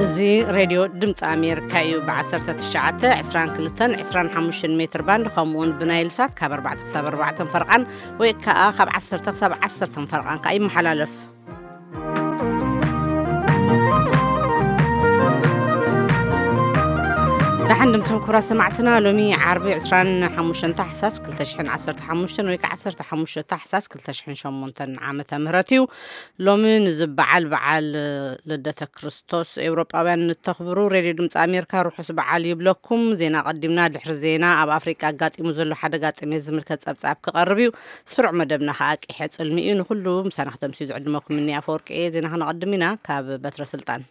እዚ ሬድዮ ድምፂ ኣሜሪካ እዩ። ብ19፣ 22፣ 25 ሜትር ባንድ፣ ከምኡውን ብናይል ሳት ካብ ኣርባዕተ ክሳብ ኣርባዕተ ፈርቓን፣ ወይ ከዓ ካብ ዓሰርተ ክሳብ ዓሰርተ ፈርቓን ከዓ ይመሓላለፍ። ደሓን ድምፅም ክቡራት ሰማዕትና፣ ሎሚ ዓርቢ 25 ታሕሳስ 2015 ወይ ከዓ 15 ታሕሳስ 2008 ዓመተ ምህረት እዩ። ሎሚ ንዚ በዓል፣ በዓል ልደተ ክርስቶስ፣ ኤውሮጳውያን ንተኽብሩ፣ ሬድዮ ድምፂ ኣሜሪካ ርሑስ በዓል ይብለኩም። ዜና ቀዲምና፣ ድሕሪ ዜና ኣብ ኣፍሪቃ ኣጋጢሙ ዘሎ ሓደጋ ጥሜት ዝምልከት ጸብጻብ ክቐርብ እዩ። ስሩዕ መደብና ከኣ ቂሐ ጽልሚ እዩ። ንኹሉ ምሳና ክተምስዩ ዝዕድመኩም እኒ ኣፈወርቂ እየ። ዜና ክነቐድም ኢና ካብ በትረ ስልጣን።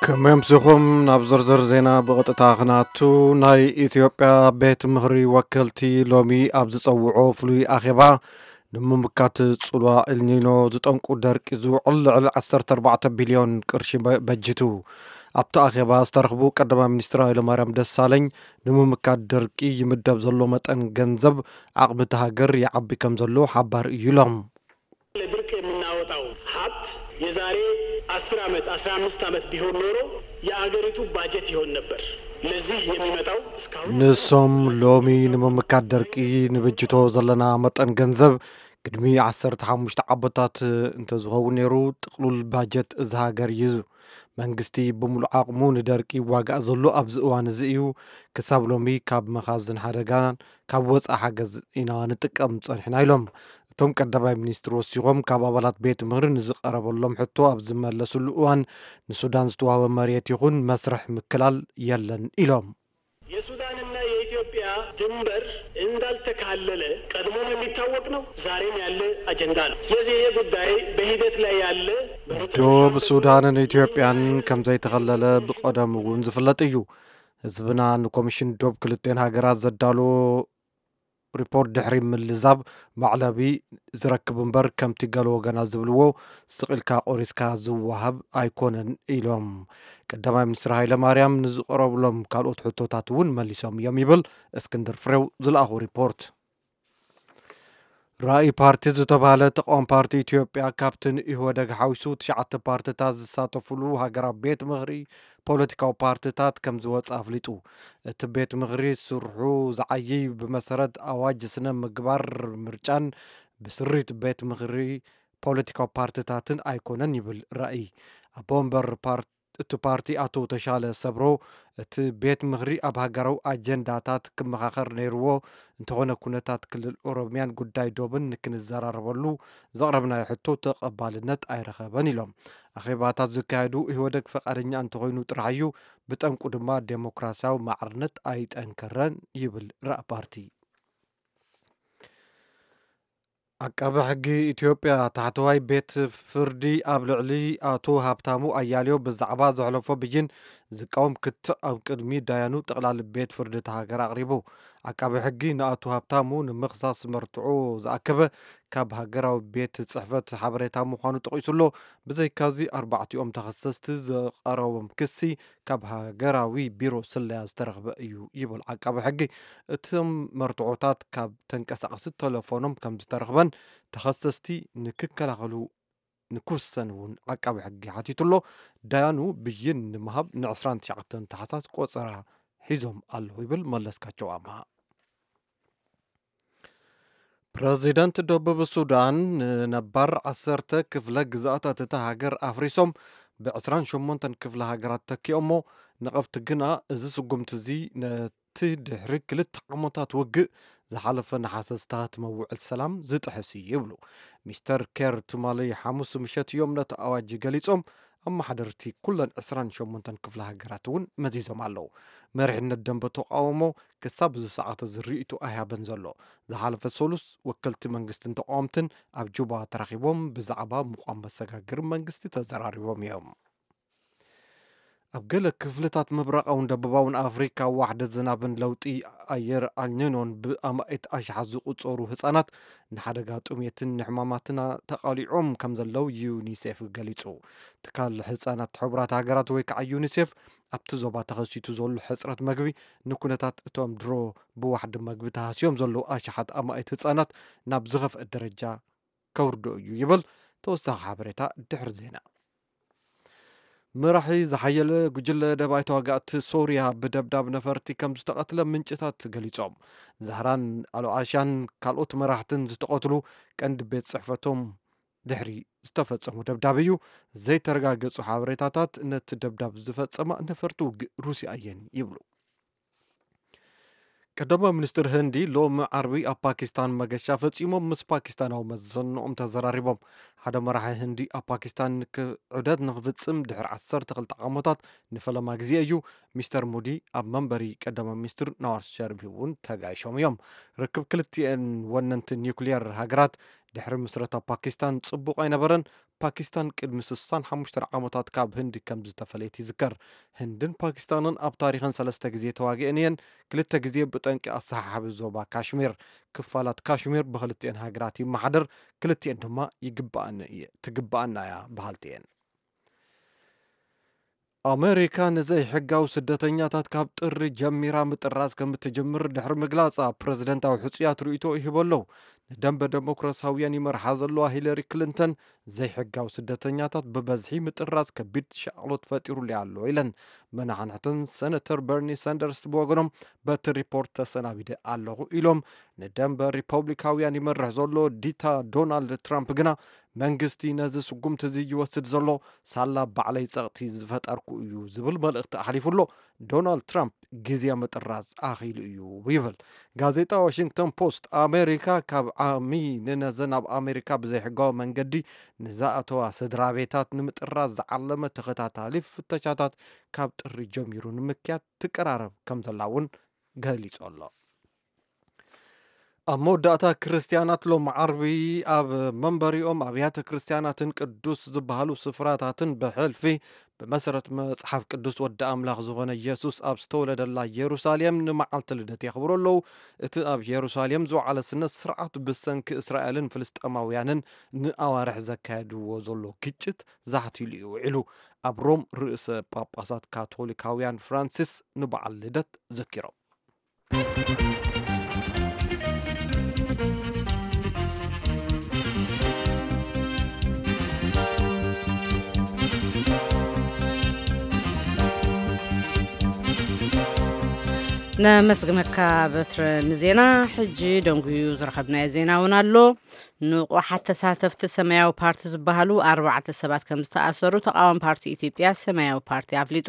ከመይ ኣምሲኹም? ናብ ዝርዝር ዜና ብቐጥታ ክናቱ። ናይ ኢትዮጵያ ቤት ምኽሪ ወከልቲ ሎሚ ኣብ ዝጸውዖ ፍሉይ ኣኼባ፣ ንምምካት ጽልዋ ኤልኒኖ ዝጠንቁ ደርቂ ዝውዕል ልዕሊ 14 ቢልዮን ቅርሺ በ-፣ በጅቱ። ኣብቲ ኣኼባ ዝተረኽቡ ቀዳማይ ሚኒስትር ሃይለማርያም ደሳለኝ፣ ንምምካት ደርቂ ይምደብ ዘሎ መጠን ገንዘብ ዓቕሚ እቲ ሃገር ይዓቢ ከም ዘሎ ሓባር እዩ ኢሎም። ለድርቅ የምናወጣው ሀብት የዛሬ 10 ዓመት፣ 15 ዓመት ቢሆን ኖሮ የአገሪቱ ባጀት ይሆን ነበር። ለዚህ የሚመጣው እስካሁን ንሶም ሎሚ ንምምካት ደርቂ ንብጅቶ ዘለና መጠን ገንዘብ፣ ቅድሚ 15 ዓመታት እንተዝኸውን ነይሩ፣ ጥቕሉል ባጀት እዚ ሃገር እዩ። መንግስቲ ብምሉእ ዓቕሙ ንደርቂ ይዋጋእ ዘሎ ኣብዚ እዋን እዚ እዩ። ክሳብ ሎሚ ካብ መኻዝን ሓደጋን ካብ ወፃኢ ሓገዝ ኢና ንጥቀም ፀኒሕና ኢሎም። እቶም ቀዳማይ ሚኒስትር ወሲኾም፣ ካብ ኣባላት ቤት ምኽሪ ንዝቐረበሎም ሕቶ ኣብ ዝመለስሉ እዋን፣ ንሱዳን ዝተዋህበ መሬት ይኹን መስርሕ ምክላል የለን ኢሎም። የሱዳንና የኢትዮጵያ ድንበር እንዳልተካለለ ቀድሞም የሚታወቅ ነው፣ ዛሬም ያለ አጀንዳ ነው። ስለዚህ ይሄ ጉዳይ በሂደት ላይ ያለ ዶብ ሱዳንን ኢትዮጵያን ከም ዘይተኸለለ ብቐደም እውን ዝፍለጥ እዩ። ህዝብና ንኮሚሽን ዶብ ክልቴን ሃገራት ዘዳለዎ ሪፖርት ድሕሪ ምልዛብ፣ መዕለቢ ዝረክብ እምበር፣ ከምቲ ገለ ወገናት ዝብልዎ፣ ስቕ ኢልካ ቆሪስካ ዝወሃብ ኣይኮነን ኢሎም። ቀዳማይ ሚኒስትር ሃይለ ማርያም ንዝቐረብሎም ካልኦት ሕቶታት እውን መሊሶም እዮም ይብል እስክንድር ፍሬው ዝለኣኹ ሪፖርት። ራእይ ፓርቲ ዝተባህለ ተቃዋሚ ፓርቲ ኢትዮጵያ፣ ካብቲ ንኢህወደግ ሓዊሱ ትሽዓተ ፓርትታት ዝሳተፉሉ ሃገራዊ ቤት ምኽሪ ፖለቲካዊ ፓርትታት ከም ዝወፀ ኣፍሊጡ። እቲ ቤት ምኽሪ ስርሑ ዝዓይይ ብመሰረት ኣዋጅ ስነ ምግባር ምርጫን ብስሪት ቤት ምኽሪ ፖለቲካዊ ፓርትታትን ኣይኮነን ይብል ራእይ። ኣቦ ወንበር ፓር-፣ እቲ ፓርቲ ኣቶ ተሻለ ሰብሮ፣ እቲ ቤት ምኽሪ ኣብ ሃገራዊ ኣጀንዳታት ክመኻኸር ነይርዎ፣ እንተኾነ ኩነታት ክልል ኦሮሚያን ጉዳይ ዶብን ንክንዘራረበሉ ዘቕረብናዮ ሕቶ ተቐባልነት ኣይረኸበን ኢሎም። ኣኼባታት ዝካየዱ ኢህወደግ ፈቓደኛ እንተኾይኑ ጥራሕ እዩ፣ ብጠንቁ ድማ ዴሞክራሲያዊ ማዕርነት ኣይጠንከረን ይብል ራእ ፓርቲ። ዓቃቢ ሕጊ ኢትዮጵያ ታሕተዋይ ቤት ፍርዲ ኣብ ልዕሊ ኣቶ ሃብታሙ ኣያሌው ብዛዕባ ዘሕለፎ ብይን ዝቃወም ክትዕ ኣብ ቅድሚ ዳያኑ ጠቕላሊ ቤት ፍርዲ እታ ሃገር ኣቕሪቡ። ዓቃቢ ሕጊ ንኣቶ ሃብታሙ ንምኽሳስ መርትዖ ዝኣከበ ካብ ሃገራዊ ቤት ጽሕፈት ሓበሬታ ምዃኑ ጠቒሱ ኣሎ። ብዘይካዚ ኣርባዕቲኦም ተኸሰስቲ ዘቐረቦም ክሲ ካብ ሃገራዊ ቢሮ ስለያ ዝተረኽበ እዩ ይብል ዓቃቢ ሕጊ። እቶም መርትዖታት ካብ ተንቀሳቐሲ ተለፎኖም ከም ዝተረኽበን ተኸሰስቲ ንክከላኸሉ ንክውሰን እውን ዓቃቢ ሕጊ ሓቲቱ ኣሎ። ዳያኑ ብይን ንምሃብ ን29 ታሕሳስ ቆጸራ ሒዞም ኣለዉ ይብል መለስካቸው ኣምሃ። ፕረዚደንት ደቡብ ሱዳን ንነባር ዓሰርተ ክፍለ ግዝኣታት እታ ሃገር ኣፍሪሶም ብ28 ክፍለ ሃገራት ተኪኦሞ፣ ነቐፍቲ ግና እዚ ስጉምቲ እዚ ነቲ ድሕሪ ክልተ ዓመታት ውግእ ዝሓለፈ ነሓሰ ዝተሃትመ ውዕል ሰላም ዝጥሕስ እዩ ይብሉ። ሚስተር ኬር ትማሊ ሓሙስ ምሸት እዮም ነቲ ኣዋጅ ገሊጾም። ኣመሓደርቲ ኩለን 28 ክፍለ ሃገራት እውን መዚዞም ኣለዉ። መሪሕነት ደንበ ተቃውሞ ክሳብ እዚ ሰዓት እዚ ርእይቶ ኣይሃበን ዘሎ። ዝሓለፈ ሰሉስ ወከልቲ መንግስትን ተቃወምትን ኣብ ጁባ ተራኺቦም ብዛዕባ ምቋም መሰጋግሪ መንግስቲ ተዘራሪቦም እዮም። ኣብ ገለ ክፍልታት ምብራቓውን ደቡባውን ኣፍሪካ ዋሕዲ ዝናብን ለውጢ ኣየር ኣልኒኖን ብኣማኢት ኣሽሓት ዝቑጸሩ ህጻናት ንሓደጋ ጥሜትን ንሕማማትን ተቓሊዖም ከም ዘለዉ ዩኒሴፍ ገሊጹ። ትካል ህጻናት ሕቡራት ሃገራት ወይ ከዓ ዩኒሴፍ ኣብቲ ዞባ ተኸሲቱ ዘሎ ሕጽረት መግቢ ንኩነታት እቶም ድሮ ብዋሕዲ መግቢ ተሃስዮም ዘለዉ ኣሽሓት ኣማኢት ህጻናት ናብ ዝኸፍአ ደረጃ ከውርዶ እዩ ይብል ተወሳኺ ሓበሬታ ድሕሪ ዜና። መራሒ ዝሓየለ ጉጅለ ደባይ ተዋጋእቲ ሶርያ ብደብዳብ ነፈርቲ ከም ዝተቐትለ ምንጭታት ገሊጾም። ዛህራን ኣልኣሻን ካልኦት መራሕትን ዝተቐትሉ ቀንዲ ቤት ጽሕፈቶም ድሕሪ ዝተፈጸሙ ደብዳብ እዩ። ዘይተረጋገጹ ሓበሬታታት ነቲ ደብዳብ ዝፈጸማ ነፈርቲ ውግእ ሩስያ እየን ይብሉ። ቀዳማይ ሚኒስትር ህንዲ ሎሚ ዓርቢ ኣብ ፓኪስታን መገሻ ፈጺሞም ምስ ፓኪስታናዊ መዘንኦም ተዘራሪቦም። ሓደ መራሒ ህንዲ ኣብ ፓኪስታን ክ-፣ ዑደት ንክፍጽም ድሕሪ ዓሰርተ ክልተ ዓመታት ንፈለማ ግዜ እዩ። ሚስተር ሙዲ ኣብ መንበሪ ቀዳማይ ሚኒስትር ናዋዝ ሸሪፍ እውን ተጋይሾም እዮም። ርክብ ክልቲኤን ወነንቲ ኒውክሊየር ሃገራት ድሕሪ ምስረታ ፓኪስታን ጽቡቕ ኣይነበረን። ፓኪስታን ቅድሚ ስሳን ሓሙሽተን ዓመታት ካብ ህንዲ ከም ዝተፈለየት ይዝከር። ህንድን ፓኪስታንን ኣብ ታሪኸን ሰለስተ ግዜ ተዋጊአን እየን። ክልተ ግዜ ብጠንቂ ኣሰሓሓቢ ዞባ ካሽሚር። ክፋላት ካሽሚር ብክልቲኤን ሃገራት ይመሓደር። ክልቲኤን ድማ ይግባኣኒ እየ፣ ትግባኣና እያ በሃልቲ እየን። ኣመሪካ ንዘይሕጋዊ ስደተኛታት ካብ ጥሪ ጀሚራ ምጥራዝ ከም እትጅምር ድሕሪ ምግላጻ፣ ፕረዚደንታዊ ሕጹያት ርእይቶ ይህቡ ኣለዉ። ንደንበ ደሞክራሲያውያን ይመርሓ ዘለዋ ሂለሪ ክሊንተን፣ ዘይሕጋዊ ስደተኛታት ብበዝሒ ምጥራዝ ከቢድ ሻቕሎት ፈጢሩለይ ኣሎ ኢለን። መናሕንሕተን ሰነተር በርኒ ሳንደርስ ብወገኖም፣ በቲ ሪፖርት ተሰናቢደ ኣለኹ ኢሎም። ንደንበ ሪፐብሊካውያን ይመርሕ ዘሎ ዲታ ዶናልድ ትራምፕ ግና፣ መንግስቲ ነዚ ስጉምቲ እዚ ይወስድ ዘሎ ሳላ ባዕለይ ጸቕጢ ዝፈጠርኩ እዩ ዝብል መልእኽቲ ኣሕሊፉ ኣሎ። ዶናልድ ትራምፕ ግዜ ምጥራዝ ኣኺሉ እዩ ይብል። ጋዜጣ ዋሽንግተን ፖስት፣ ኣሜሪካ ካብ ዓሚ ንነዘን ኣብ ኣሜሪካ ብዘይሕጋዊ መንገዲ ንዝኣተዋ ስድራ ቤታት ንምጥራዝ ዝዓለመ ተኸታታሊ ፍተሻታት ካብ ጥሪ ጀሚሩ ንምክያድ ትቀራረብ ከም ዘላ እውን ገሊጹ ኣሎ። ኣብ መወዳእታ፣ ክርስትያናት ሎም ዓርቢ ኣብ መንበሪኦም ኣብያተ ክርስትያናትን ቅዱስ ዝበሃሉ ስፍራታትን ብሕልፊ ብመሰረት መጽሓፍ ቅዱስ ወዲ ኣምላኽ ዝኾነ ኢየሱስ ኣብ ዝተወለደላ ኢየሩሳሌም ንመዓልቲ ልደት የኽብሩ ኣለዉ። እቲ ኣብ ኢየሩሳሌም ዝወዓለ ስነ ስርዓት ብሰንኪ እስራኤልን ፍልስጤማውያንን ንኣዋርሕ ዘካየድዎ ዘሎ ግጭት ዛሕቲሉ እዩ ውዒሉ። ኣብ ሮም ርእሰ ጳጳሳት ካቶሊካውያን ፍራንሲስ ንበዓል ልደት ዘኪሮም። ነመስግነካ በትረ ንዜና። ሕጂ ደንጉዩ ዝረኸብናዮ ዜና እውን ኣሎ። ንቑሓት ተሳተፍቲ ሰማያዊ ፓርቲ ዝበሃሉ ኣርባዕተ ሰባት ከም ዝተኣሰሩ ተቓዋሚ ፓርቲ ኢትዮጵያ ሰማያዊ ፓርቲ ኣፍሊጡ።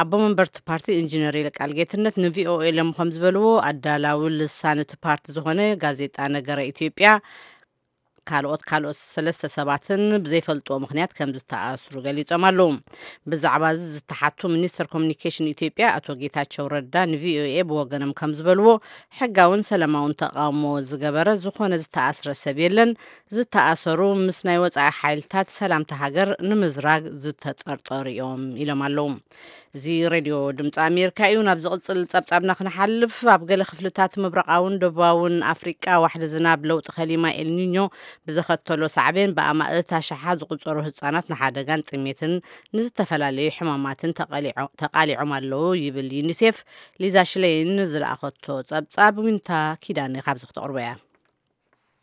ኣቦ መንበርቲ ፓርቲ ኢንጂነር ይልቃል ጌትነት ንቪኦኤ ሎም ከም ዝበልዎ፣ ኣዳላዊ ልሳን እቲ ፓርቲ ዝኾነ ጋዜጣ ነገረ ኢትዮጵያ ካልኦት ካልኦት ሰለስተ ሰባትን ብዘይፈልጥዎ ምኽንያት ከም ዝተኣስሩ ገሊጾም ኣለዉ። ብዛዕባ እዚ ዝተሓቱ ሚኒስተር ኮሚኒኬሽን ኢትዮጵያ ኣቶ ጌታቸው ረዳ ንቪኦኤ ብወገኖም ከም ዝበልዎ፣ ሕጋውን ሰላማውን ተቓውሞ ዝገበረ ዝኾነ ዝተኣስረ ሰብ የለን። ዝተኣሰሩ ምስ ናይ ወጻኢ ሓይልታት ሰላምታ ሃገር ንምዝራግ ዝተጠርጠሩ እዮም ኢሎም ኣለዉ። እዚ ሬድዮ ድምፂ ኣሜሪካ እዩ። ናብ ዝቕፅል ጸብጻብና ክንሓልፍ፣ ኣብ ገለ ክፍልታት ምብራቓውን ደቡባውን ኣፍሪቃ ዋሕዲ ዝናብ ለውጢ ከሊማ ኤልኒኞ ብዘኸተሎ ሳዕቤን ብኣማእት ኣሽሓ ዝቑጸሩ ህጻናት ንሓደጋን ጥሜትን ንዝተፈላለዩ ሕማማትን ተቐሊዖ-፣ ተቓሊዖም ኣለዉ ይብል ዩኒሴፍ። ሊዛ ሽለይን ዝለኣኸቶ ጸብጻብ ዊንታ ኪዳነ ካብዚ ክተቕርቦ እያ።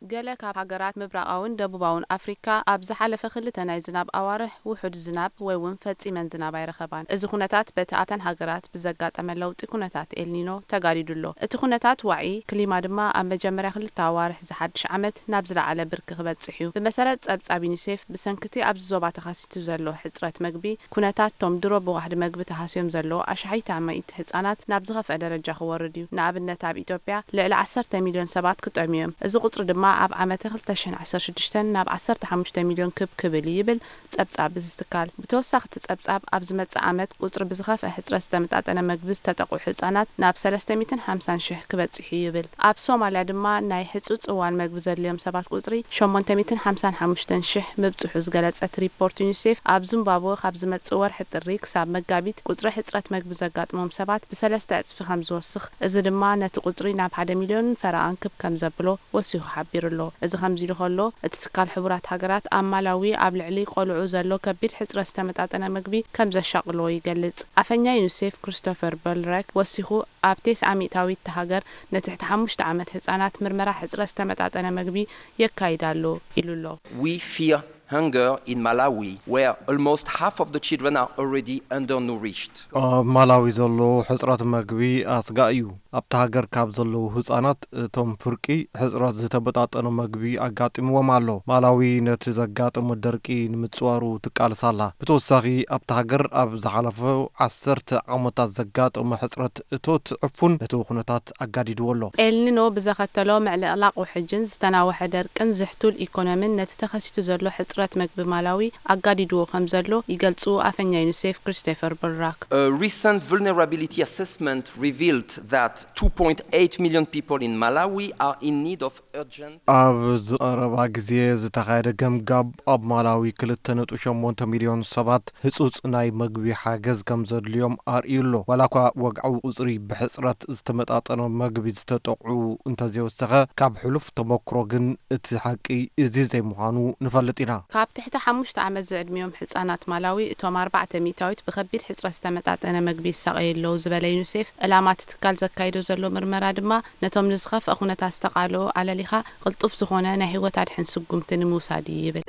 ገለ ካብ ሃገራት ምብራቓውን ደቡባውን ኣፍሪካ ኣብ ዝሓለፈ ክልተ ናይ ዝናብ ኣዋርሕ ውሑድ ዝናብ ወይ እውን ፈጺመን ዝናብ ኣይረኸባን። እዚ ኩነታት በቲ ኣብተን ሃገራት ብዘጋጠመ ለውጢ ኩነታት ኤልኒኖ ተጋዲዱ ኣሎ። እቲ ኩነታት ዋዒ ክሊማ ድማ ኣብ መጀመርያ ክልተ ኣዋርሕ ዝሓድሽ ዓመት ናብ ዝለዓለ ብርኪ ክበጽሕ እዩ። ብመሰረት ጸብጻብ ዩኒሴፍ፣ ብሰንኪ እቲ ኣብዚ ዞባ ተኸሲቱ ዘሎ ሕጽረት መግቢ፣ ኩነታት እቶም ድሮ ብዋሕዲ መግቢ ተሃስዮም ዘለዉ ኣሽሓት ኣማኢት ህጻናት ናብ ዝኸፍአ ደረጃ ክወርድ እዩ። ንኣብነት፣ ኣብ ኢትዮጵያ ልዕሊ ዓሰርተ ሚልዮን ሰባት ክጠምዩ እዮም። እዚ ቁጽሪ ድማ ኣብ ዓመተ ክልተ ሽሕን ዓሰርተ ሽዱሽተን ናብ ዓሰርተ ሓሙሽተ ሚልዮን ክብ ክብል እዩ ይብል ጸብጻብ እዚ ትካል። ብተወሳኺ፣ እቲ ጸብጻብ ኣብ ዝመጽእ ዓመት ቁጽሪ ብዝኸፍአ ሕጽረት ዝተመጣጠነ መግቢ ዝተጠቕዑ ህጻናት ናብ ሰለስተ ሚእትን ሓምሳን ሽሕ ክበጽሕ እዩ ይብል። ኣብ ሶማልያ ድማ ናይ ህጹጽ እዋን መግቢ ዘድልዮም ሰባት ቁጽሪ ሸሞንተ ሚእትን ሓምሳን ሓሙሽተን ሽሕ ምብጽሑ ዝገለጸ እቲ ሪፖርት ዩኒሴፍ፣ ኣብ ዚምባብወ ካብ ዝመጽእ ወርሒ ጥሪ ክሳብ መጋቢት ቁጽሪ ሕጽረት መግቢ ዘጋጥሞም ሰባት ብሰለስተ ዕጽፊ ከም ዝወስኽ፣ እዚ ድማ ነቲ ቁጽሪ ናብ ሓደ ሚልዮንን ፈረቓን ክብ ከም ዘብሎ ወሲኹ ሓቢሩ። ሓቢሩ ኣሎ። እዚ ከምዚ ኢሉ ከሎ፣ እቲ ትካል ሕቡራት ሃገራት ኣብ ማላዊ ኣብ ልዕሊ ቆልዑ ዘሎ ከቢድ ሕጽረት ዝተመጣጠነ ምግቢ ከም ዘሻቕሎ ይገልጽ። ኣፈኛ ዩኒሴፍ ክሪስቶፈር በልረክ ወሲኹ፣ ኣብ ቴስዓ ሚእታዊት እታ ሃገር ንትሕቲ ሓሙሽተ ዓመት ህጻናት ምርመራ ሕጽረት ዝተመጣጠነ ምግቢ የካይድ ኣሎ ኢሉ ኣሎ። We fear hunger in Malawi, where almost half of the children are already undernourished. ኣብ ማላዊ ዘሎ ሕጽረት መግቢ ኣስጋእ እዩ። ኣብታ ሃገር ካብ ዘለዉ ህጻናት እቶም ፍርቂ ሕጽረት ዝተመጣጠነ መግቢ ኣጋጢምዎም ኣሎ። ማላዊ ነቲ ዘጋጠመ ደርቂ ንምጽዋሩ ትቃለስ ኣላ። ብተወሳኺ ኣብታ ሃገር ኣብ ዝሓለፈ ዓሰርተ ዓመታት ዘጋጠመ ሕጽረት እቶት ዕፉን ነቲ ኩነታት ኣጋዲድዎ ኣሎ። ኤልኒኖ ብዘኸተሎ ምዕልቕላቕ ውሕጅን ዝተናወሐ ደርቅን ዝሕቱል ኢኮኖሚን ነቲ ተኸሲቱ ዘሎ ሕጽረት መግቢ ማላዊ ኣጋዲድዎ ከም ዘሎ ይገልጹ ኣፈኛ ዩኒሴፍ ክሪስቶፈር በልራክ። A recent vulnerability assessment revealed that two point eight million people in Malawi are in need of urgent ኣብ ዝቐረባ ግዜ ዝተኻየደ ገምጋብ ኣብ ማላዊ ክልተ ነጥቢ ሸሞንተ ሚልዮን ሰባት ህጹጽ ናይ መግቢ ሓገዝ ከም ዘድልዮም ኣርእዩ ኣሎ። ዋላ እኳ ወግዓዊ ቁጽሪ ብሕጽረት ዝተመጣጠነ መግቢ ዝተጠቕዑ እንተዘይወሰኸ፣ ካብ ሕሉፍ ተመክሮ ግን እቲ ሓቂ እዚ ዘይምዃኑ ንፈልጥ ኢና። ካብ ትሕቲ ሓሙሽተ ዓመት ዝዕድሚኦም ህጻናት ማላዊ እቶም ኣርባዕተ ሚእታዊት ብኸቢድ ሕጽረት ዝተመጣጠነ መግቢ ይሳቐዩ ኣለዉ ዝበለ ዩኒሴፍ፣ ዕላማ እቲ ትካል ዘካይዶ ዘሎ ምርመራ ድማ ነቶም ንዝኸፍአ ኩነታት ዝተቓልዑ ኣለሊኻ ቅልጡፍ ዝኾነ ናይ ህይወት ኣድሕን ስጉምቲ ንምውሳድ እዩ ይብል።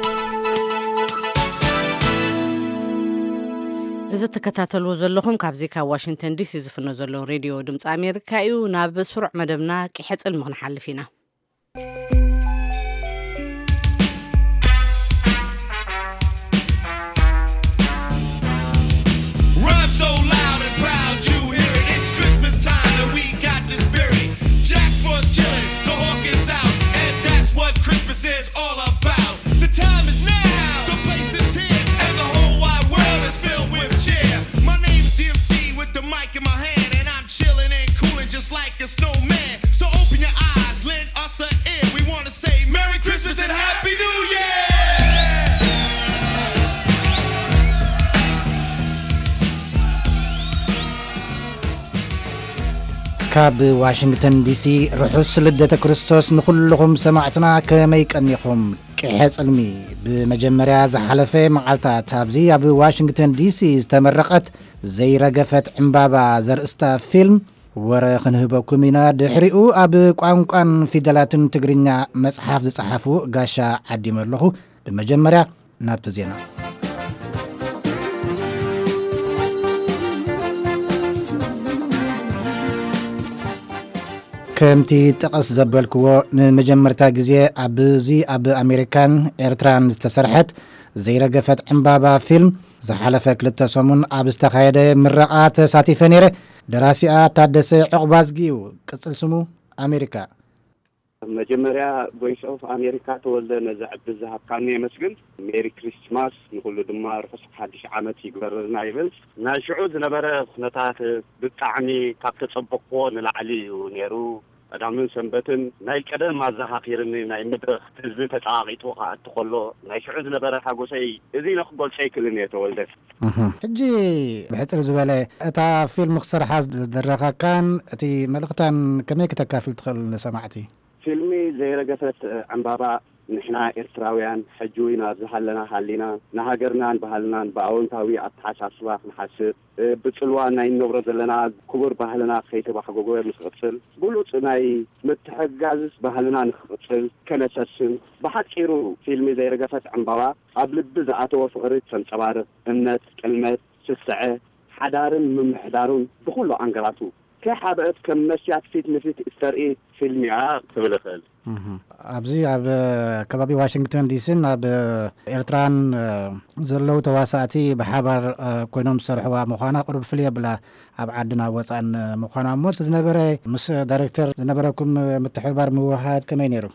እዚ ትከታተልዎ ዘለኹም ካብዚ ካብ ዋሽንግተን ዲሲ ዝፍኖ ዘሎ ሬድዮ ድምፂ ኣሜሪካ እዩ። ናብ ስሩዕ መደብና ቂሐ ጽልሚ ክንሓልፍ ኢና። Rhyme so loud and proud, you hear it. It's Christmas time and we got the spirit. Jack Frost chillin', the hawk is out, and that's what Christmas is all about. The time is now, the place is here, and the whole wide world is filled with cheer. My name's D M C with the mic in my hand, and I'm chillin' and coolin' just like a snowman. So open your eyes, lend us an ear. We wanna say Merry Christmas and Happy New Year! ካብ ዋሽንግተን ዲሲ ርሑስ ልደተ ክርስቶስ ንኹልኹም ሰማዕትና። ከመይ ቀኒኹም? ቅሐ ጽልሚ። ብመጀመርያ ዝሓለፈ መዓልታት ኣብዚ ኣብ ዋሽንግተን ዲሲ ዝተመረቐት ዘይረገፈት ዕምባባ ዘርእስታ ፊልም ወረ ክንህበኩም ኢና። ድሕሪኡ ኣብ ቋንቋን ፊደላትን ትግርኛ መጽሓፍ ዝጸሓፉ ጋሻ ዓዲመ ኣለኹ። ብመጀመርያ ናብቲ ዜና። ከምቲ ጠቐስ ዘበልክዎ፣ ንመጀመርታ ግዜ ኣብዚ ኣብ ኣሜሪካን ኤርትራን ዝተሰርሐት ዘይረገፈት ዕምባባ ፊልም ዝሓለፈ ክልተ ሰሙን ኣብ ዝተኻየደ ምረቓ ተሳቲፈ ነይረ። ደራሲኣ ታደሰ ዕቑባዝጊ እዩ፣ ቅጽል ስሙ ኣሜሪካ። መጀመርያ ቮይስ ኦፍ ኣሜሪካ ተወልደ ነዚ ዕድል ዝሃብካኒ የመስግን። ሜሪ ክሪስማስ፣ ንኹሉ ድማ ርሑስ ሓድሽ ዓመት ይግበረልና ይብል። ናይ ሽዑ ዝነበረ ኩነታት ብጣዕሚ ካብ ተጸበቕዎ ንላዕሊ እዩ ነይሩ። ቀዳምን ሰንበትን ናይ ቀደም ኣዘኻኺርኒ፣ ናይ መድረኽ ህዝቢ ተጸቓቒጡ ክኣቱ ከሎ ናይ ሽዑ ዝነበረ ሓጎሰይ እዚ ኢለ ክገልጾ ኣይክእልን እየ ተወልደ። እህ። ሕጂ ብሕጽር ዝበለ እታ ፊልም ክሰርሓ ዝደረኻካን እቲ መልእኽታን ከመይ ክተካፍል ትኽእል ንሰማዕቲ? ፊልሚ ዘይረገፈት ዕምባባ ንሕና ኤርትራውያን ሕጂ እውን ኣብ ዝሃለና ሃሊና ንሃገርናን ባህልናን ብኣወንታዊ ኣተሓሳስባ ክንሓስብ፣ ብጽልዋ ናይ እንነብሮ ዘለና ክቡር ባህልና ከይተባሕጎጎ ንክቕጽል፣ ብሉጽ ናይ ምትሕግጋዝ ባህልና ንክቕጽል ከነሰስን፣ ብሓጺሩ ፊልሚ ዘይረገፈት ዕምባባ ኣብ ልቢ ዝኣተወ ፍቕሪ ተንጸባርቕ፣ እምነት፣ ጥልመት፣ ስስዐ፣ ሓዳርን ምምሕዳሩን ብኹሉ ኣንገላቱ ከይሓብአት ከም መስትያት ፊት ንፊት እተርኢ ፊልም እያ ክብል እኽእል። እህ። ኣብዚ ኣብ ከባቢ ዋሽንግተን ዲሲን ኣብ ኤርትራን ዘለዉ ተዋሳእቲ ብሓባር ኮይኖም ዝሰርሕዋ ምዃና ቁሩብ ፍልይ የብላ፣ ኣብ ዓድና ወፃእን ምዃና። እሞ እቲ ዝነበረ ምስ ዳይሬክተር ዝነበረኩም ምትሕብባር ምውህሃድ ከመይ ነይሩ?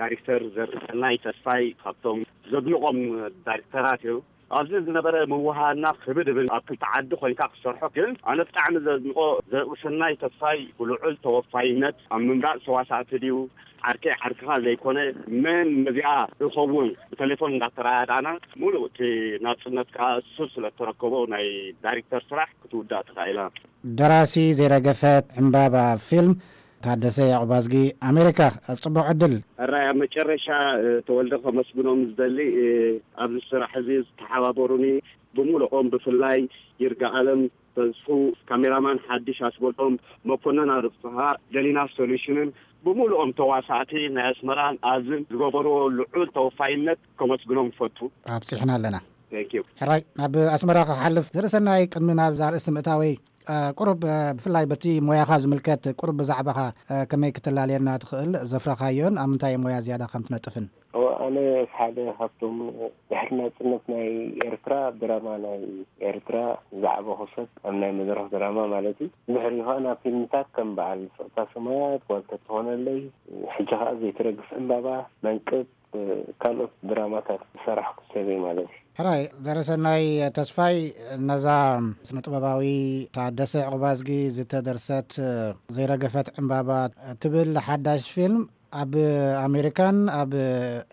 ዳይሬክተር ዘርእሰናይ ተስፋይ ካብቶም ዘድንቖም ዳይሬክተራት እዩ። ኣብዚ ዝነበረ ምውሃድና ክብድ እብል፣ ኣብ ክልተ ዓዲ ኮይንካ ክትሰርሖ። ግን ኣነ ብጣዕሚ ዘድንቆ ዘርእሰናይ ተስፋይ ብልዑል ተወፋይነት ኣብ ምምራፅ ተዋሳእቲ ድዩ ዓርከይ ዓርክኻ ዘይኮነ መን ነዚኣ እኸውን ብቴሌፎን እንዳተረዳዳእና ሙሉእ እቲ ናፅነት ከዓ እሱ ስለተረከቦ ናይ ዳይሬክተር ስራሕ ክትውዳእ ተኻኢላ። ደራሲ ዘይረገፈት ዕምባባ ፊልም ታደሰ ያዕቆብ ኣዝጊ፣ ኣሜሪካ፣ ጽቡቕ ዕድል። ሕራይ ኣብ መጨረሻ ተወልደ ከመስግኖም ዝደሊ ኣብዚ ስራሕ እዚ ዝተሓባበሩኒ ብምልኦም፣ ብፍላይ ይርጋ ኣለም ተስፉ፣ ካሜራማን ሓድሽ ኣስበሎም፣ መኮነን ኣርፍሃ፣ ደሊና ሶሉሽንን ብምልኦም ተዋሳእቲ ናይ ኣስመራን ኣብዝን ዝገበርዎ ልዑል ተወፋይነት ከመስግኖም ይፈቱ። ኣብፂሕና ኣለና። ሕራይ ናብ ኣስመራ ክሓልፍ ዘርእሰናይ ቅድሚ ናብ ዛርእስቲ ምእታወይ፣ ቁሩብ ብፍላይ በቲ ሞያኻ ዝምልከት ቁሩብ ብዛዕባኻ ከመይ ክትላልየና ትኽእል? ዘፍረኻዮን ኣብ ምንታይ ሞያ ዝያዳ ከም ትነጥፍን? ኣነ ሓደ ካብቶም ድሕሪ ናጽነት ናይ ኤርትራ ድራማ ናይ ኤርትራ ዝዓበኹ ሰብ ኣብ ናይ መድረኽ ድራማ ማለት እዩ። ድሕሪኡ ከዓ ናብ ፊልምታት ከም በዓል ስቕታ ሰማያት፣ ዋልታ ትኾነለይ፣ ሕጂ ከዓ ዘይትረግፍ ዕምባባ፣ መንቅብ፣ ካልኦት ድራማታት ዝሰራሕኩ ሰብ እየ ማለት እዩ። ሕራይ ዘረሰናይ ተስፋይ፣ ነዛ ስነ ጥበባዊ ታደሰ ዕቑባዝጊ ዝተደርሰት ዘይረገፈት ዕምባባ ትብል ሓዳሽ ፊልም ኣብ ኣሜሪካን ኣብ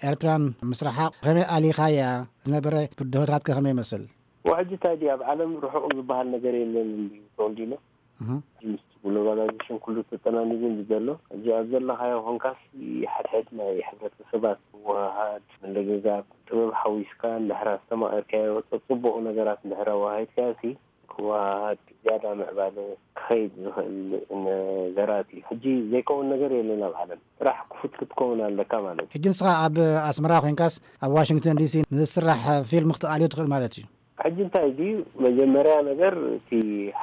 ኤርትራን ምስራሓ ከመይ ኣሊኻያ ዝነበረ ብድሆታት ከ ከመይ ይመስል? ወሕጂ እንታይ ድዩ ኣብ ዓለም ርሑቕ ዝበሃል ነገር የለን እንዲ ተወልዲኖ። ምስቲ ግሎባላይዜሽን ኩሉ ተጠናኒጉ እንዲ ዘሎ፣ እዚ ኣብ ዘለኻዮ ኮንካስ ሓድሕድ ናይ ሕብረተሰባት ምውሃሃድ፣ ምልግጋብ፣ ጥበብ ሓዊስካ እንድሕር ኣስተማቒርካዮ፣ ጽቡቕ ነገራት እንድሕር ኣወሃሂድካዮ ሲ ክወሃሃድ ዝያዳ ምዕባለ ክኸይድ ዝኽእል ነገራት እዩ። ሕጂ ዘይከውን ነገር የለን ኣብ ዓለም። ጥራሕ ክፉት ክትከውን ኣለካ ማለት እዩ። ሕጂ ንስኻ ኣብ ኣስመራ ኮይንካስ ኣብ ዋሽንግተን ዲሲ ንዝስራሕ ፊልም ክትኣልዮ ትኽእል ማለት እዩ። ሕጂ እንታይ ድዩ መጀመርያ ነገር እቲ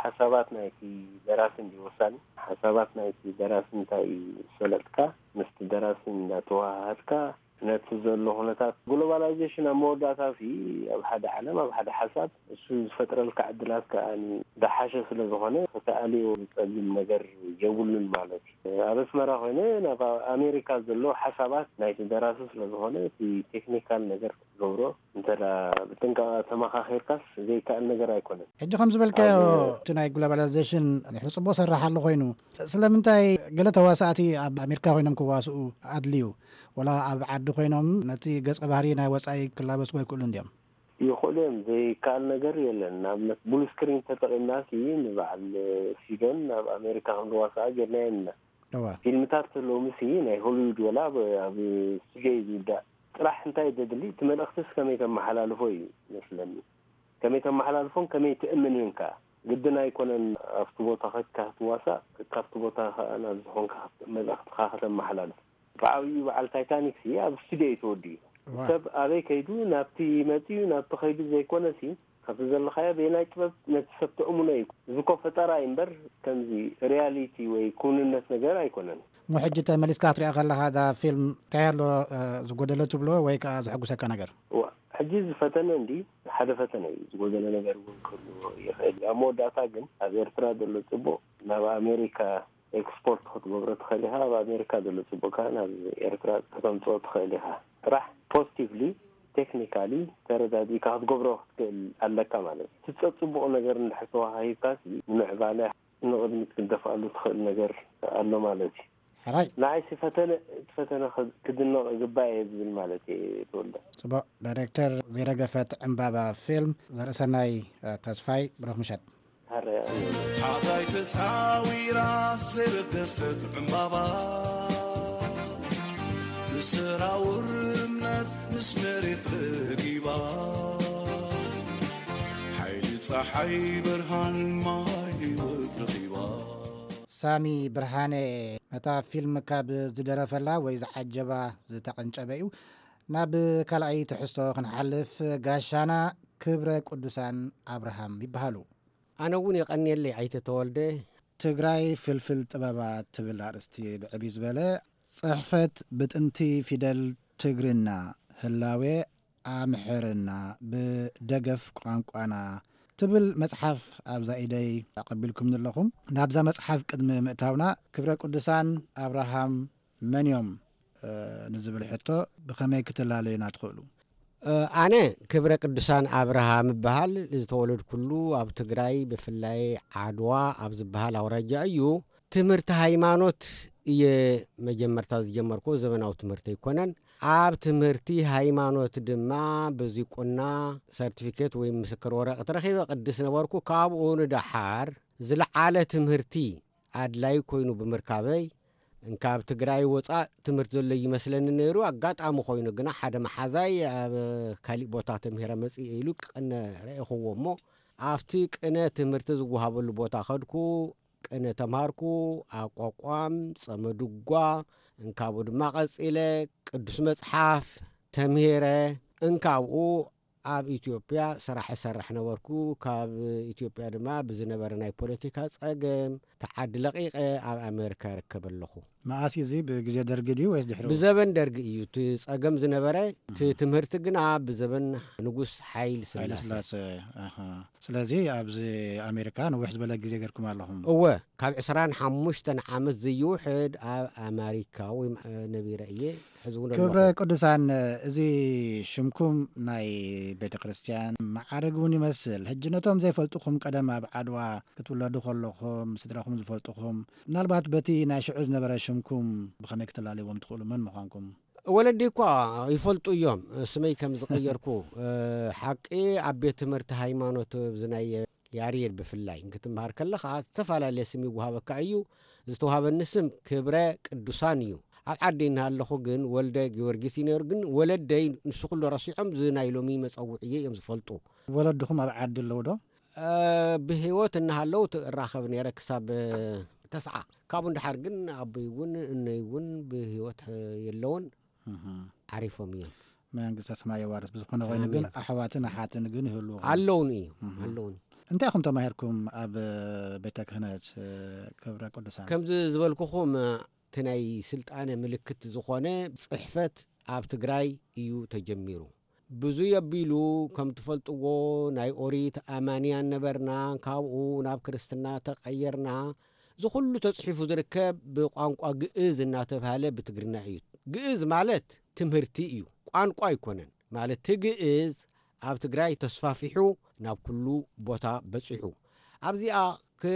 ሓሳባት ናይቲ ደራሲ እንዲ ወሳኒ። ሓሳባት ናይቲ ደራሲ እንታይ እዩ ዝፈለጥካ፣ ምስቲ ደራሲ እንዳተወሃሃድካ ነቲ ዘሎ ኩነታት ግሎባላይዜሽን ኣብ መወዳእታ ሲ ኣብ ሓደ ዓለም ኣብ ሓደ ሓሳብ እሱ ዝፈጥረልካ ዕድላት ከኣ ዝሓሸ ስለ ዝኾነ ክትኣልዮ ዝጸግም ነገር የብሉን ማለት እዩ። ኣብ ኣስመራ ኮይነ ናብ ኣሜሪካ ዘሎ ሓሳባት ናይቲ ደራሲ ስለ ዝኾነ እቲ ቴክኒካል ነገር ክትገብሮ እንተ ብጥንቃቐ ተመኻኺርካስ ዘይከኣል ነገር ኣይኮነን። ሕጂ ከም ዝበልካዮ እቲ ናይ ግሎባላይዜሽን ንሕሪ ጽቡቕ ሰራሕ ኣሎ ኮይኑ ስለምንታይ ገለ ተዋሳእቲ ኣብ ኣሜሪካ ኮይኖም ክዋስኡ ኣድልዩ? ወላ ኣብ ዓዲ ኮይኖም ነቲ ገጸ ባህሪ ናይ ወጻኢ ክላበስዎ ይክእሉ እንድዮም? ይኽእሉ እዮም። ዘይከኣል ነገር የለን። ንኣብነት ብሉ ስክሪን ተጠቒምና ሲ ንበዓል ሲዶን ናብ ኣሜሪካ ክንዋስኣ ጌርናዮ ኢና። ፊልምታት ሎሚ ሲ ናይ ሆሊውድ ወላ ኣብ ስቱዲዮ እዩ ዝውዳእ። ጥራሕ እንታይ ደድሊ እቲ መልእኽትስ ከመይ ተመሓላልፎ እዩ መስለኒ። ከመይ ተመሓላልፎን ከመይ ትእምንን ከኣ ግድን ኣይኮነን። ኣብቲ ቦታ ከድካ ክትዋሳእ ካብቲ ቦታ ከኣ ናብ ዝኾንካ መልእኽትኻ ከተመሓላልፍ። ብዓብዩ በዓል ታይታኒክ ሲ ኣብ ስቱዲዮ እዩ ተወዲኡ። ሰብ ኣበይ ከይዱ ናብቲ መጺኡ ናብቲ ከይዱ ዘይኮነ ሲ ካብቲ ዘለኻዮ በየናይ ጥበብ ነቲ ሰብ ተእምኖ እዩ። እዚ እኮ ፈጠራ እዩ እምበር ከምዚ ሪያሊቲ ወይ ክውንነት ነገር ኣይኮነን። እሞ ሕጂ ተመሊስካ ክትሪኣ ከለኻ እዛ ፊልም እንታይ ኣሎ ዝጎደለ ትብሎ ወይ ከዓ ዘሐጉሰካ ነገር? እዋ ሕጂ ዝፈተነ እንዲ ሓደ ፈተነ እዩ። ዝጎደለ ነገር እውን ክህልዎ ይኽእል እዩ። ኣብ መወዳእታ ግን ኣብ ኤርትራ ዘሎ ጽቡቕ ናብ ኣሜሪካ ኤክስፖርት ክትገብሮ ትኽእል ኢኻ። ኣብ ኣሜሪካ ዘሎ ጽቡቕ ከኣ ናብ ኤርትራ ከተምጽኦ ትኽእል ኢኻ። ጥራሕ ፖዚቲቭሊ ቴክኒካሊ ተረዳዲእካ ክትገብሮ ክትክእል ኣለካ ማለት እዩ። እቲ ጸጽቡቕ ነገር እንድሕር ተዋሃሂብካ ሲ ንምዕባለ ንቕድሚት ክትደፍኣሉ ትኽእል ነገር ኣሎ ማለት እዩ። ሕራይ ንዓይሲ ፈተነ እቲ ፈተነ ክድነቕ ይግባእ እየ ዝብል ማለት እየ። ተወልደ ጽቡቕ። ዳይሬክተር ዘይረገፈት ዕምባባ ፊልም ዘርእሰናይ ተስፋይ ብሩኽ ምሸት። ሓራይ ኣሜን። ሓራይ ተጻዊራ ዘይረገፈት ዕምባባ ብሰራውር እምነት ምስ መሬት ረጊባ ሓይሊ ጸሓይ ብርሃን ማይ ህይወት ረኺባ። ሳሚ ብርሃነ ነታ ፊልም ካብ ዝደረፈላ ወይ ዝዓጀባ ዝተቐንጨበ እዩ። ናብ ካልኣይ ትሕዝቶ ክንሓልፍ፣ ጋሻና ክብረ ቅዱሳን ኣብርሃም ይበሃሉ። ኣነ እውን የቐንየለይ ኣይተ ተወልደ። ትግራይ ፍልፍል ጥበባት ትብል ኣርእስቲ ብዕብዩ ዝበለ ጽሕፈት ብጥንቲ ፊደል ትግርና ህላዌ ኣምሕርና ብደገፍ ቋንቋና ትብል መጽሓፍ ኣብዛ ኢደይ ኣቐቢልኩምኒ ኣለኹም። ናብዛ መጽሓፍ ቅድሚ ምእታውና ክብረ ቅዱሳን ኣብርሃም መን እዮም ንዝብል ሕቶ ብኸመይ ክትላለዩና ትኽእሉ? ኣነ ክብረ ቅዱሳን ኣብርሃም እበሃል። ዝተወለድኩሉ ኣብ ትግራይ ብፍላይ ዓድዋ ኣብ ዝበሃል ኣውራጃ እዩ። ትምህርቲ ሃይማኖት እየ መጀመርታ ዝጀመርኩ፣ ዘመናዊ ትምህርቲ ኣይኮነን። ኣብ ትምህርቲ ሃይማኖት ድማ ብዚቁና ሰርቲፊኬት ወይ ምስክር ወረቐት ረኺበ ቅድስ ነበርኩ። ካብኡ ንደሓር ዝለዓለ ትምህርቲ ኣድላይ ኮይኑ ብምርካበይ እንካብ ትግራይ ወፃእ ትምህርቲ ዘሎ ይመስለኒ ነይሩ። ኣጋጣሚ ኮይኑ ግና ሓደ መሓዛይ ኣብ ካሊእ ቦታ ተምሂረ መፅእ ኢሉ ቅነ ረእኽዎ እሞ ኣብቲ ቅነ ትምህርቲ ዝወሃበሉ ቦታ ከድኩ። ቅነ ተምሃርኩ። ኣቋቋም፣ ጸመድጓ፣ እንካብኡ ድማ ቀጺለ ቅዱስ መጽሓፍ ተምሂረ። እንካብኡ ኣብ ኢትዮጵያ ስራሕ እሰርሕ ነበርኩ። ካብ ኢትዮጵያ ድማ ብዝነበረ ናይ ፖለቲካ ጸገም ተዓዲ ለቒቐ ኣብ ኣሜሪካ ይርከብ ኣለኹ። መኣስ እዩ እዚ? ብግዜ ደርጊ ድዩ ወይስ ድሕሪኡ? ብዘበን ደርጊ እዩ እቲ ጸገም ዝነበረ። እቲ ትምህርቲ ግና ብዘበን ንጉስ ሓይሊ ስላሴ። ስለዚ ኣብዚ ኣሜሪካ ነዊሕ ዝበለ ግዜ ገርኩም ኣለኹም። እወ፣ ካብ ዕስራን ሓሙሽተን ዓመት ዘይውሕድ ኣብ ኣማሪካ ወይ ነቢረ እየ። ሕዚ እውን ክብረ ኣለኹ። ቅዱሳን፣ እዚ ሽምኩም ናይ ቤተ ክርስቲያን መዓርግ እውን ይመስል። ሕጂ ነቶም ዘይፈልጡኹም ቀደም ኣብ ዓድዋ ክትውለዱ ከለኹም ስድራኹም ዝፈልጡኹም ምናልባት በቲ ናይ ሽዑ ዝነበረ ሽምኩም ብኸመይ ክትላለይዎም ትኽእሉ? መን ምዃንኩም? ወለዲ እኳ ይፈልጡ እዮም፣ ስመይ ከም ዝቐየርኩ። እ፣ ሓቂ ኣብ ቤት ትምህርቲ ሃይማኖት፣ እዚ ናይ ያሬድ ብፍላይ ክትምሃር ከለኻ ዝተፈላለየ ስም ይወሃበካ እዩ። ዝተዋሃበኒ ስም ክብረ ቅዱሳን እዩ። ኣብ ዓዲ እናሃለኹ ግን ወልደ ጊዮርጊስ እዩ ነይሩ። ግን ወለደይ ንሱ ኩሉ ረሲዖም፣ እዚ ናይ ሎሚ መጸውዕየ እዮም ዝፈልጡ። ወለድኹም ኣብ ዓዲ ኣለዉ ዶ? እ፣ ብህይወት እናሃለዉ ት-፣ እራኸብ ነይረ ክሳብ፣ እ፣ ተስዓ። ካብኡ ንደሓር ግን ኣቦይ እውን እነይ እውን ብህይወት፣ እ፣ የለውን። እህ። ዓሪፎም እዮም። መንግስተ ሰማይ የዋርስ። ብዝኾነ ኮይኑ ግን ኣሜን። ኣሕዋትን ኣሓትን ግን ይህልዉ። ኣለውን እዩ። እህ። ኣለውን። እንታይ ኢኹም ተማሂርኩም ኣብ ቤተ ክህነት፣ እ፣ ክብረ ቅዱሳን? ከምዚ ዝበልኩኹም፣ እቲ ናይ ስልጣነ ምልክት ዝኾነ ጽሕፈት ኣብ ትግራይ እዩ ተጀሚሩ። ብዙይ ኣቢሉ ከም ትፈልጥዎ ናይ ኦሪት ኣማንያን ነበርና፣ ካብኡ ናብ ክርስትና ተቐየርና። እዚ ኩሉ ተጽሒፉ ዝርከብ ብቋንቋ ግእዝ እናተብሃለ ብትግርና እዩ። ግእዝ ማለት ትምህርቲ እዩ፣ ቋንቋ ኣይኮነን። ማለት እቲ ግእዝ ኣብ ትግራይ ተስፋፊሑ ናብ ኩሉ ቦታ በጺሑ። ኣብዚኣ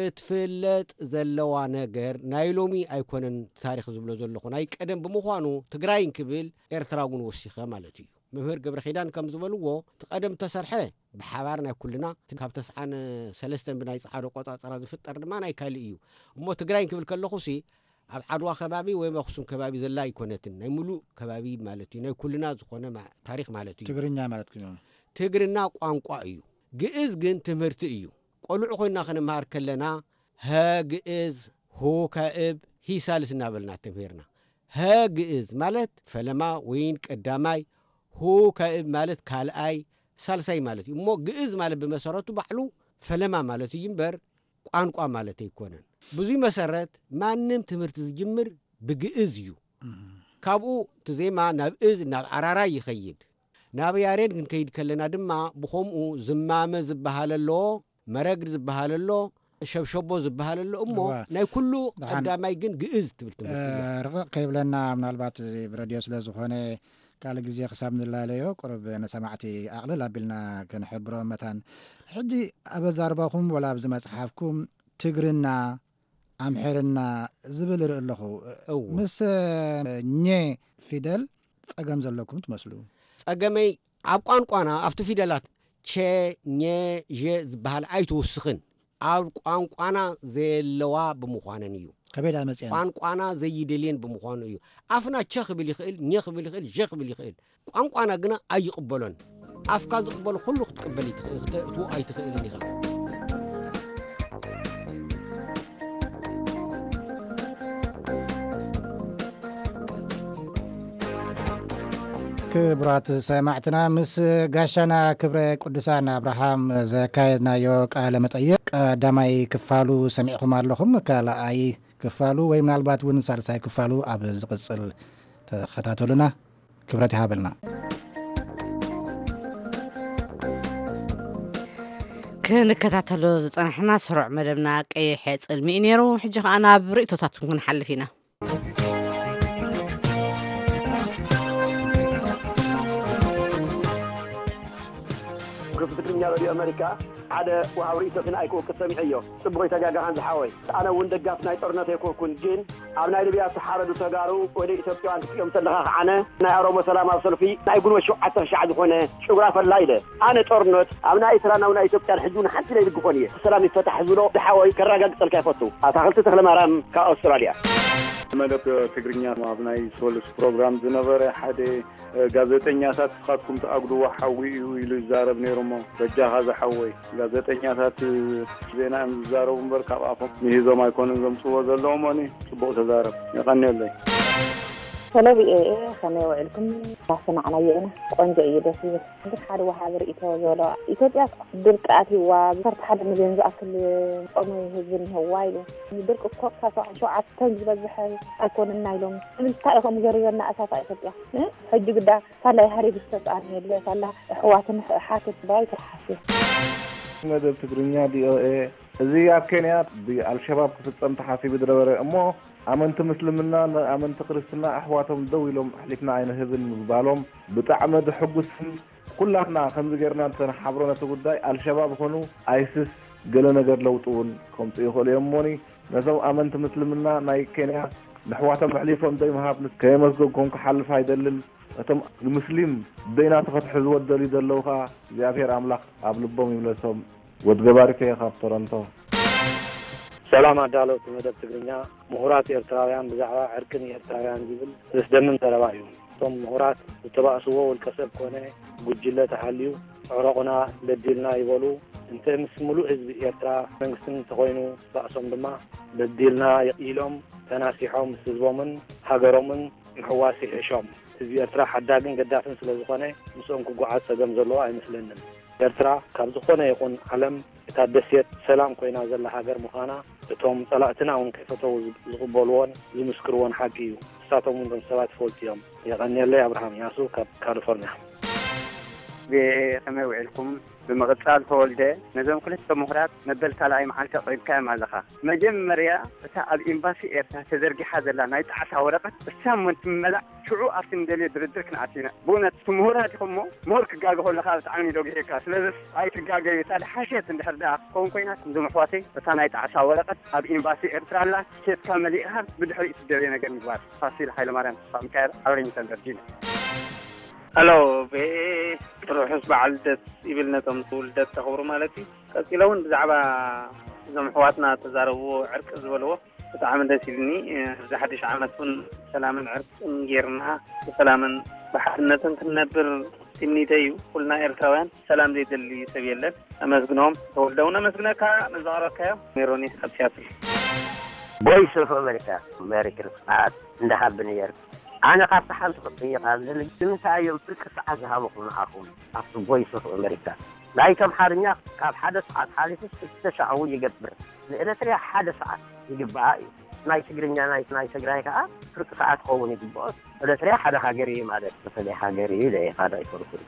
ክትፍለጥ ዘለዋ ነገር ናይ ሎሚ ኣይኮነን፣ ታሪኽ ዝብሎ ዘለኹ ናይ ቀደም ብምዃኑ ትግራይ እንክብል ኤርትራ እውን ወሲኸ ማለት እዩ። መምህር ገብረ ኪዳን ከም ዝበልዎ እቲ ቀደም ተሰርሐ ብሓባር ናይ ኩልና፣ ካብ ተስዓን ሰለስተን ብናይ ጸዓዶ ቆጻጸራ ዝፍጠር ድማ ናይ ካልእ እዩ። እሞ ትግራይ እንክብል ከለኹሲ ኣብ ዓድዋ ከባቢ ወይም ኣኽሱም ከባቢ ዘላ ኣይኮነትን። ናይ ሙሉእ ከባቢ ማለት እዩ። ናይ ኩልና ዝኾነ ማ-፣ ታሪኽ ማለት እዩ። ትግርኛ ማለት እዩ። ትግርና ቋንቋ እዩ። ግእዝ ግን ትምህርቲ እዩ። ቆልዑ ኮይና ክንምሃር ከለና ሀ ግእዝ፣ ሁ ከእብ፣ ሂ ሳልስ እናበልና ተምሂርና። ሀ ግእዝ ማለት ፈለማ ወይን ቀዳማይ፣ ሁ ከእብ ማለት ካልኣይ፣ ሳልሳይ ማለት እዩ። እሞ ግእዝ ማለት ብመሰረቱ ባዕሉ ፈለማ ማለት እዩ እምበር ቋንቋ ማለት ኣይኮነን። ብዙይ መሰረት ማንም ትምህርቲ ዝጅምር ብግእዝ እዩ። እም። ካብኡ እቲ ዜማ ናብ እዝ፣ ናብ ዓራራይ ይኸይድ። ናብ ያሬድ ክንከይድ ከለና ድማ ብኸምኡ ዝማመ ዝበሃል ኣሎ፣ መረግድ ዝበሃል ኣሎ፣ ሸብሸቦ ዝበሃል ኣሎ። እሞ እዋ። ናይ ኩሉ ደሓን። ቀዳማይ ግን ግእዝ ትብል ትምህርቲ እያ። እ፣ ርቕቕ ከይብለና ምናልባት እዚ ብረድዮ ስለ ዝኾነ ካልእ ግዜ ክሳብ ንላለዮ ቁሩብ ንሰማዕቲ ኣቕልል ኣቢልና ክንሕብሮ መታን። ሕጂ ኣብ ኣዛርባኹም ወላ ኣብዚ መጽሓፍኩም ትግርና፣ ኣምሕርና ዝብል ርኢ ኣለኹ። እወ። ምስ ኘ ፊደል ጸገም ዘለኩም ትመስሉ። ጸገመይ ኣብ ቋንቋና ኣብቲ ፊደላት ቸ፣ ኘ፣ ዠ ዝበሃል ኣይትውስኽን። ኣብ ቋንቋና ዘየለዋ ብምዃነን እዩ። ከበይ ደኣ መጽኤን? ቋንቋና ዘይደልየን ብምዃኑ እዩ። ኣፍና ቸ ክብል ይኽእል፣ ኘ ክብል ይኽእል፣ ዠ ክብል ይኽእል። ቋንቋና ግና ኣይቕበሎን። ኣፍካ ዝቕበሎ ኩሉ ክትቅበል ይትኽእል፣ ክተእትዎ ኣይትኽእልን ኢኻ። ክቡራት ሰማዕትና፣ ምስ ጋሻና ክብረ ቅዱሳን ኣብርሃም ዘካየድናዮ ቃለ መጠይቕ ቀዳማይ ክፋሉ ሰሚዕኹም ኣለኹም። ካልኣይ ክፋሉ ወይ ምናልባት እውን ሳልሳይ ክፋሉ ኣብ ዝቕጽል ተኸታተሉና። ክብረት ይሃበልና። ክንከታተሎ ዝጸናሕና ስሩዕ መደብና ቀይሕ ጽልሚ እዩ ነይሩ። ሕጂ ኸኣ ናብ ርእይቶታትኩም ክንሓልፍ ኢና። ክፍቲ ትግርኛ ሬድዮ ኣመሪካ ሓደ ወሃብ ርእይቶ ግን ኣይክወቅስ ሰሚዐዮ። ጽቡቕ ይተጋጋኻን ዝሓወይ። ኣነ እውን ደጋፊ ናይ ጦርነት ኣይኮንኩን፣ ግን ኣብ ናይ ሊብያ ዝተሓረዱ ተጋሩ ወደ ኢትዮጵያውያን ክትሪኦም ተለኻ ከዓነ ናይ ኦሮሞ ሰላማዊ ሰልፊ ናይ ጉንበት ሸውዓተ ሻዕ ዝኾነ ጭጉራ ፈላ ኢለ። ኣነ ጦርነት ኣብ ናይ ኤርትራን ኣብ ናይ ኢትዮጵያን ሕጂ እውን ሓንቲ ዘይድግፎን እየ። ሰላም ይፈታሕ ዝብሎ ዝሓወይ ከረጋግጸልካ ይፈቱ። ኣታኽልቲ ተኽለማርያም ካብ ኣውስትራልያ። መደብ ትግርኛ ኣብ ናይ ሶሉስ ፕሮግራም ዝነበረ ሓደ ጋዜጠኛታት ንስኻትኩም ትኣጉድዎ ሓዊ እዩ ኢሉ ይዛረብ ነይሩ። እሞ በጃኻ ዝሓወይ ጋዜጠኛታት ዜና እዮም ዝዛረቡ እምበር ካብ ኣፎም ምሂዞም ኣይኮኑን ዘምፅዎ ዘለዎም። ኒ ፅቡቕ ተዛረብ። የቐንየለይ። ሰለቢ ኤኤ ከመይ ውዕልኩም? እናሰማዕናዮ ኢና። ቆንጆ እዩ፣ ደስ ይብል። ግን ሓደ ወሃቢ ርእይቶ ዘሎ ኢትዮጵያ ድርቂ ኣትይዋ ዓሰርተ ሓደ ሚልዮን ዝኣክል ጾመ ህዝቢ እኒሀዋ ኢሉ። ድርቂ እኮ ካብ ሰብዓን ሸውዓተን ዝበዝሐ ኣይኮነና ኢሎም። ንምንታይ ኢኹም ዘሪበና እሳት ኢትዮጵያ? ሕጂ ግዳ ሳላ የሃሪብ ዝተስኣነ የለ ሳላ ኣሕዋትን ሓትት ባይ ትርሓስ። መደብ ትግርኛ ቪኦኤ። እዚ ኣብ ኬንያ ብኣልሸባብ ክፍጸም ተሓሲቡ ዝነበረ እሞ ኣመንቲ ምስልምና ንኣመንቲ ክርስትና ኣሕዋቶም ደው ኢሎም ኣሕሊፍና ኣይንህብን ምባሎም ብጣዕሚ ድሕጉስን ኩላትና ከምዚ ጌርና እንተንሓብሮ ነቲ ጉዳይ ኣልሸባብ ኾኑ ኣይስስ ገለ ነገር ለውጢ እውን ከምፁ ይኽእሉ እዮም እሞኒ ነቶም ኣመንቲ ምስልምና ናይ ኬንያ ንሕዋቶም ኣሕሊፎም ዘይምሃብ ከየመስገንኩም ክሓልፍ ኣይደልን። እቶም ንሙስሊም ደይናቱ ከትሕዝዎ ዝደልዩ ዘለዉ ኸኣ እግዚኣብሔር ኣምላኽ ኣብ ልቦም ይምለሶም። ወድ ገባሪከ ካብ ቶሮንቶ። ሰላም ኣዳለውቲ መደብ ትግርኛ፣ ምሁራት ኤርትራውያን ብዛዕባ ዕርቂ ንኤርትራውያን ዝብል ዘስደምም ዘረባ እዩ። እቶም ምሁራት ዝተባእስዎ ውልቀ ሰብ ኮነ ጉጅለ ተሃልዩ ዕረቑና በዲልና ይበሉ። እንተ ምስ ምሉእ ህዝቢ ኤርትራ መንግስትን እንተኾይኑ ባእሶም ድማ በዲልና ኢሎም ተናሲሖም ምስ ህዝቦምን ሃገሮምን ምሕዋስ ይሕሾም። ህዝቢ ኤርትራ ሓዳግን ገዳፍን ስለ ዝኾነ ምስኦም ክጓዓዝ ጸገም ዘለዎ ኣይመስለንን። ኤርትራ ካብ ዝኾነ ይኹን ዓለም እታ ደሴት ሰላም ኮይና ዘላ ሃገር ምዃና እቶም ጸላእትና እውን ከይፈተዉ ዝቕበልዎን ዝምስክርዎን ሓቂ እዩ። ንሳቶም እውን እቶም ሰባት ይፈልጡ እዮም። የቐንየለይ። ኣብርሃም ያሱ ካብ ካሊፎርኒያ። ከመይ ውዒልኩም? ብምቕጻል ተወልደ ነዞም ክልተ ምሁራት መበል ካልኣይ መዓልቲ ኣቕሪብካዮም ኣለኻ። መጀመርያ እታ ኣብ ኤምባሲ ኤርትራ ተዘርጊሓ ዘላ ናይ ጣዕሳ ወረቐት እሳ እሞ እንትመላእ ሽዑ ኣብቲ ንደልዮ ድርድር ክንኣቱ ኢና። ብእውነት እቲ ምሁራት ኢኹም እሞ ምሁር ክጋገ ከሎ ከኣ ብጣዕሚ እዩ ደጒሕካ። ስለዚ ኣይትጋገዩ። እታ ድሓሸት እንድሕር ደኣ ክትከውን ኮይና እዞም ኣሕዋተይ እታ ናይ ጣዕሳ ወረቐት ኣብ ኤምባሲ ኤርትራ ኣላ። ኬድካ መሊእኻ ብድሕሪኡ ትደልዮ ነገር ምግባር። ፋሲል ሃይለማርያም ተስፋሚካኤል ኣውሪንግተን ቨርጂንያ። ሄሎ ቤ ርሑስ በዓል ልደት ይብል ነቶም ልደት ተኽብሩ ማለት እዩ። ቀጺለ እውን ብዛዕባ እዞም ኣሕዋትና ተዛረብዎ ዕርቂ ዝበልዎ ብጣዕሚ ደስ ኢልኒ። ኣብዚ ሓድሽ ዓመት እውን ሰላምን ዕርቅን ጌርና ብሰላምን ብሓድነትን ክንነብር ትምኒተይ እዩ። ኩልና ኤርትራውያን ሰላም ዘይደሊ ሰብ የለን። ኣመስግኖም ተወልደ እውን ኣመስግነካ ነዛቕረብካዮ ሜሮኒ ካብ ሲያትል። ቮይስ ኦፍ ኣሜሪካ ኣሜሪካ ርፍዓት እንዳሃብኒ ነይሩ። ኣነ ካብቲ ሓንቲ ክጥይቕ ኣለኒ። ንምንታይ እዮም ፍርቂ ሰዓት ዝሃበኹም ንዓኹም ኣብቲ ቮይስ ኦፍ ኣሜሪካ? ናይቶም ሓርኛ ካብ ሓደ ሰዓት ሓሊፉ ክልተ ሻዕ እውን ይገብር። ንኤረትርያ ሓደ ሰዓት ይግባኣ እዩ። ናይ ትግርኛ ናይ ናይ ትግራይ ከዓ ፍርቂ ሰዓት ክኸውን ይግብኦ። ኤረትርያ ሓደ ሃገር እዩ ማለት በተለይ ሃገር እዩ ኢለ እየ ካዳ ኣይኮንኩን።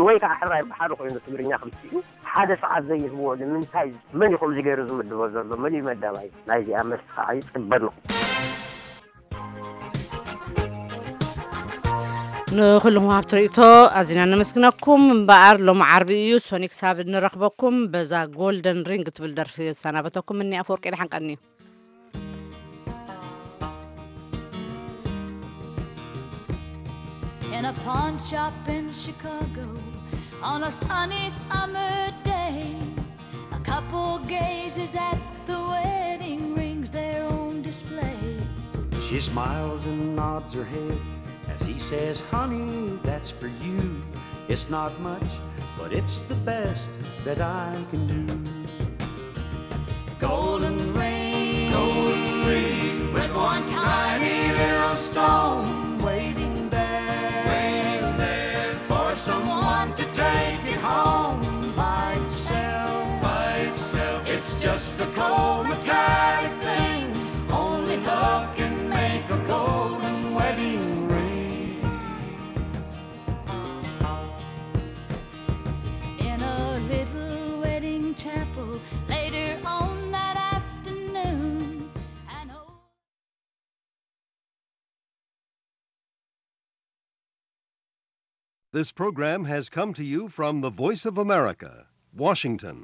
ወይ ከዓ ሕራይ ብሓደ ኮይኑ ትግርኛ ክልቲኡ ሓደ ሰዓት ዘይህብዎ ንምንታይ? መን እዩ ከምዚ ገይሩ ዝምድቦ ዘሎ? መን እዩ መዳባይ ናይዚኣ? መልሲ ከዓ ይፅበ ኣለኹ። ንኹልኹም ሃብቲ ርእቶ ኣዚና ነመስግነኩም። እምበኣር ሎም ዓርቢ እዩ ሶኒ ክሳብ ንረኽበኩም በዛ ጎልደን ሪንግ ትብል ደርፊ ዝሰናበተኩም እኒ ኣፈወርቂ ደሓን ቀንዩ። In a pawn shop in Chicago on a sunny summer day, a couple gazes at the wedding rings there on display. She smiles and nods her head as he says, "Honey, that's for you. It's not much, but it's the best that I can do." Golden ring, golden ring, with one tiny little stone waiting there, waiting there for someone to take it home by itself, by itself. It's just a cold metallic thing. Only love can make a golden wedding ring. In a little wedding chapel later on that afternoon, an old This program has come to you from the Voice of America, Washington.